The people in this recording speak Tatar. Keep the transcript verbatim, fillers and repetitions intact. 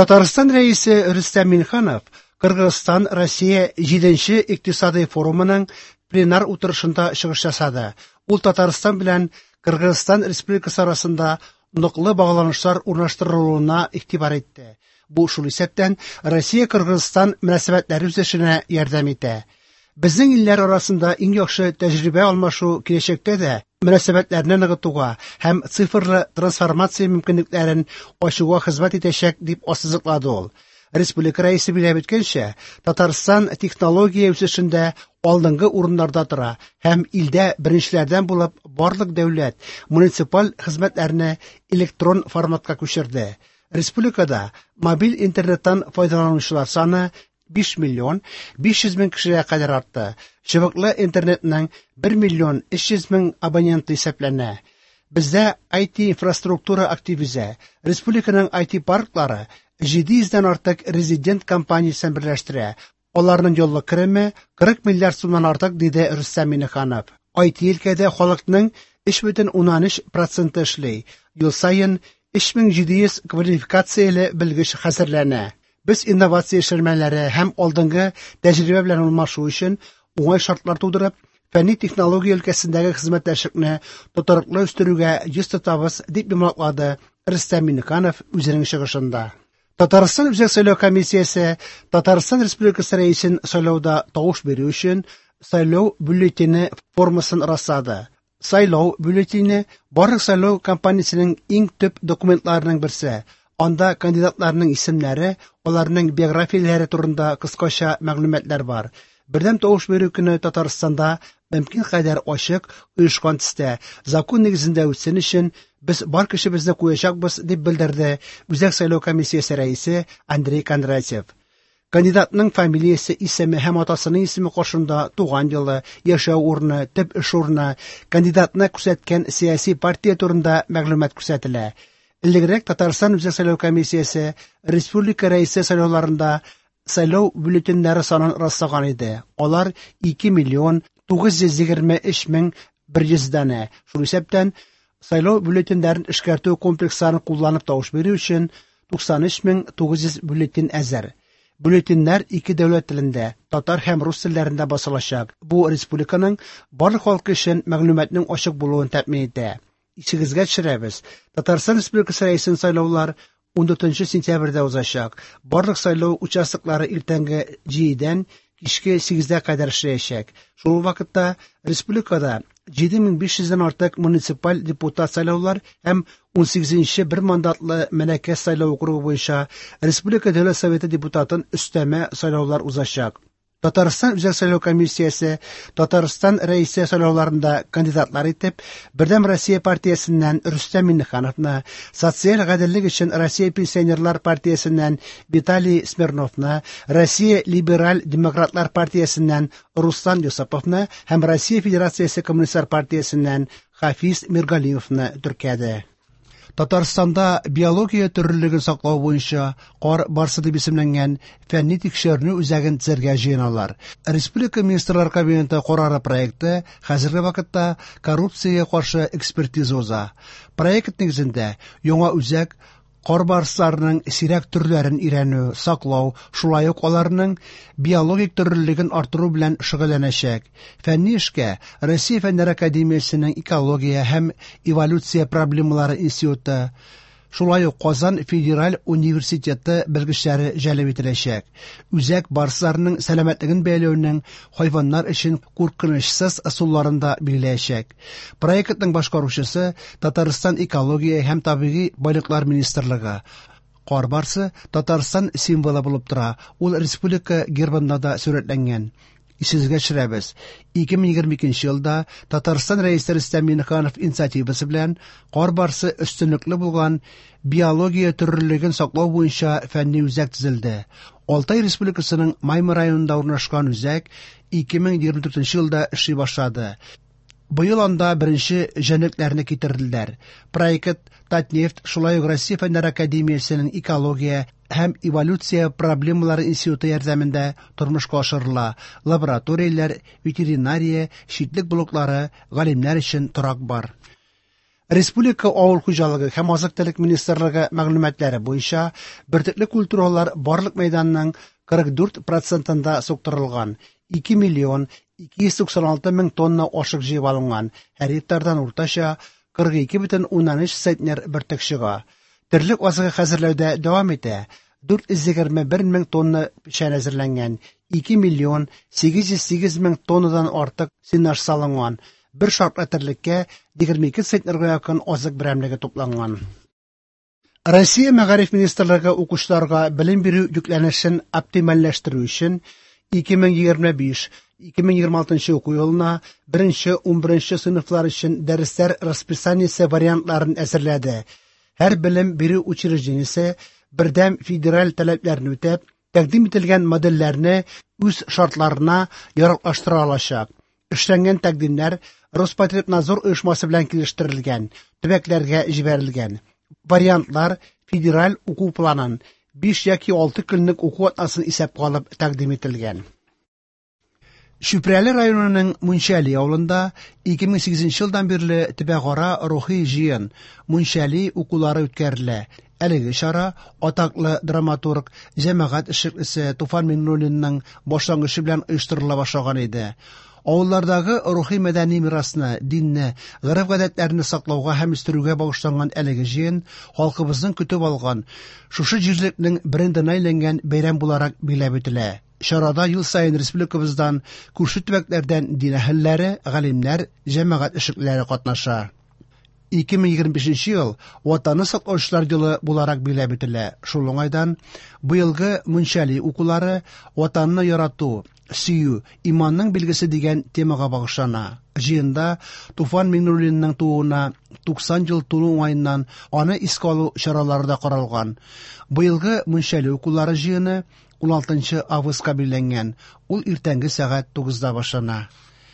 Татарстан Рәисе Рөстәм Миңнеханов Кыргызстан Россия җиденче икътисадый форумының пленар утырышында чыгыш ясады. Ул Татарстан белән Кыргызстан Республикасы арасында ныклы багланышлар урнаштырылуына игътибар итте. Бу шул исәптән Россия-Кыргызстан мөнәсәбәтләре үсешенә ярдәм итә. Безнең илләр арасында иң яхшы тәҗрибә алмашу киләчәктә дә мөнәсәбәтләрне ныгытуга һәм цифрлы трансформация мөмкинлекләрен ачуга хезмәт итәчәк, дип ассызыклады ул. Республика Рәисе билгеләп үткәнчә, Татарстан технология үсешендә алдынгы урыннарда тора һәм илдә беренчеләрдән булып барлык дәүләт, муниципаль хезмәтләрне электрон форматка күчерде. Республикада мобиль интернеттан файдаланучылар саны биш миллион биш йөз мең кешегә кадәр артты. Чыбыклы интернетның бер миллион өч йөз мең абоненты исәпләнә. Бездә ай ти инфраструктура актив үсә. Республиканың ай ти парклары җиде йөздән артык резидент компаниясен берләштерә. Аларның еллык кереме кырык миллиард сумнан артык, диде Рөстәм Миңнеханов. ай ти өлкәдә халыкның өч бөтен уннан өч проценты эшли. Ел саен өч мең җиде йөз квалификацияле белгеч хәзерләнә. Без инновация эшләнмәләре һәм алдынгы тәҗрибә белән алмашу өчен уңай шартлар тудырып, фәнни технология өлкәсендәге хезмәттәшлекне тотрыклы үстерүгә йөз тотабыз, дип йомгаклады Рөстәм Миңнеханов үзенең чыгышында. Татарстан Үзәк сайлау комиссиясе Татарстан Республикасы Рәисен сайлауда тавыш бирү өчен сайлау бюллетене формасын раслады. Сайлау бюллетене барлык сайлау кампаниясенең иң төп документларының берсе. Анда кандидатларның исемнәре, аларның биографияләре турында кыскача мәгълүматлар бар. Бердәм тавыш бирү көне Татарстанда мөмкин кадәр ачык, оешкан төстә, закон нигезендә үтсен өчен без бар көчебезне куячакбыз, дип белдерде Үзәк сайлау комиссиясе рәисе Андрей Кондратьев. Кандидатның фамилиясе, исеме һәм атасының исеме каршында туган елы, яшәү урыны, төп эш урыны, кандидатны күрсәткән сәяси партия турында мәгълүмат күрсәтелә. Элегрәк Татарстан Үзәк сайлау комиссиясе республика рәисе сайлауларында сайлау бюллетеньнәре санын раслаган иде. Алар ике миллион тугыз йөз егерме өч мең бер йөз данә. Шул исәптән сайлау бюллетеньнәрен эшкәртү комплексларын кулланып тавыш бирү өчен туксан өч мең тугыз йөз бюллетень әзер. Бюллетеньнәр ике дәүләт телендә, татар һәм рус телләрендә басылачак. Бу республиканың барлык халкы өчен мәгълүматның ачык булуын тәэмин итә. Исегезгә төшерәбез. Татарстан Республикасы Рәисен сайлаулар ундүртенче сентябрьдә узачак. Барлык сайлау участоклары иртәнге җидедән кичке сигезгә кадәр эшләячәк. Шул ук вакытта республикада җиде мең биш йөздән артык муниципаль депутат сайлаулар һәм унсигезенче бер мандатлы Мәләкәс сайлау округы буенча Республика Дәүләт Советы депутатын өстәмә сайлаулар узачак. Татарстан Үзәк сайлау комиссиясе Татарстан Рәисе сайлауларында кандидатлар итеп Бердәм Россия партиясеннән Рөстәм Миңнехановны, Социаль гаделлек өчен Россия пенсионерлар партиясеннән Виталий Смирновны, Россия либераль демократлар партиясеннән Руслан Юсуповны һәм Россия Федерациясе Коммунистлар партиясеннән Хафиз Миргалимовны теркәде. Татарстанда биология төрлелеген саклау буенча Кар барсы дип исемләнгән фәнни тикшеренү үзәген төзергә җыеналар. Республика Министрлар Кабинеты карары проекты хәзерге вакытта коррупциягә каршы экспертиза уза. Проект нигезендә яңа үзәк кар барсларының сирәк төрләрен өйрәнү, саклау, шулай ук аларның биологик төрлелеген арттыру белән шөгыльләнәчәк. Фәнни эшкә Россия Фәннәр Академиясенең экология һәм эволюция проблемалары институты, шулай ук Казан Федераль университеты белгечләре җәлеп ителәчәк. Үзәк барсларның сәламәтлеген бәяләүнең хайваннар өчен куркынычсыз ысулларын да билгеләячәк. Проектның башкаручысы Татарстан Экология һәм табигый байлыклар министрлыгы. Кар барсы Татарстан символы булып тора. Ул республика гербында да сурәтләнгән. Исегезгә төшерәбез. Ике мең егерме икенче елда Татарстан Рәисе Рөстәм Миңнеханов инициативасы белән кар барсы өстенлекле булган биология төрлелеген саклау буенча фәнни үзәк төзелде. Алтай Республикасының Маймы районында урнашкан үзәк ике мең егерме дүртенче елда эшли башлады. Быел анда беренче җәнлекләрне китерделәр. Проект Татнефть, шулай ук Россия Фәннәр Академиясенең экология һәм эволюция проблемалары институты ярдәмендә тормышка ашырыла. Лабораторияләр, ветеринария, читлек блоклары, галимнәр өчен торак бар. Республика авыл хуҗалыгы һәм азык-төлек министрлыгы мәгълүматлары буенча, бөртекле культуралар барлык мәйданның кырык дүрт процентында суктырылган, ике миллион ике йөз туксан алты мең тонна ашык җыеп алынган, һәр гектардан уртача кырык ике бөтен уннан өч центнер бөртек чыга. Терлек азыгы хәзерләүдә дәвам итә. дүрт йөз егерме бер мең тонна печән әзерләнгән, ике миллион сигез йөз сигез мең тоннадан артык сенаж салынган, бер шартлы терлеккә егерме ике центнерга якын азык берәмлеге тупланган. Россия Мәгариф министрлыгы укучыларга белем бирү йөкләнешен оптимальләштерү өчен ике мең егерме биш ике мең егерме алтынчы уку елына беренче ун беренче сыйныфлар өчен дәресләр расписаниесе вариантларын әзерләде. Һәр белем бирү учреждениесе бердәм федераль таләпләрне үтәп, тәкъдим ителгән модельләрне үз шартларына яраклаштыра алачак. Эшләнгән тәкъдимнәр Роспотребнадзор оешмасы белән килештерелгән, төбәкләргә җибәрелгән. Вариантлар федераль уку планын биш яки алты көнлек уку атнасын исәпкә алып тәкъдим ителгән. Чүпрәле районының Мунчәли авылында ике мең сигезенче елдан бирле төбәкара рухи җыен Мунчәли укулары үткәрелә. Әлеге чара атаклы драматург, җәмәгать эшлеклесе Туфан Миңнуллинның башлангычы белән оештырыла башлаган иде. Авыллардагы рухи мәдәни мирасны, динне, гореф-гадәтләрне саклауга һәм үстерүгә багышланган әлеге җыен халкыбызның көтеп алган, шушы җирлекнең брендына әйләнгән бәйрәм буларак билгеләп үтелә. Чарада ел саен республикабыздан, күрше төбәкләрдән дин әһелләре, галимнәр, җәмәгать эшлеклеләре катнаша. Ике мең егерме бишенче ел Ватанны саклаучылар елы буларак билгеләп үтелә. Шул уңайдан быелгы Мунчәли укулары Ватанны ярату, сөю, иманның билгесе дигән темага багышлана. Җыенда Туфан Миңнуллинның тууына туксан ел тулу уңаеннан аны искә алу чаралары да каралган. Быелгы Мунчәли укулары җыены ун алтынчы августка билгеләнгән. Ул иртәнге сәгать тугызда башлана.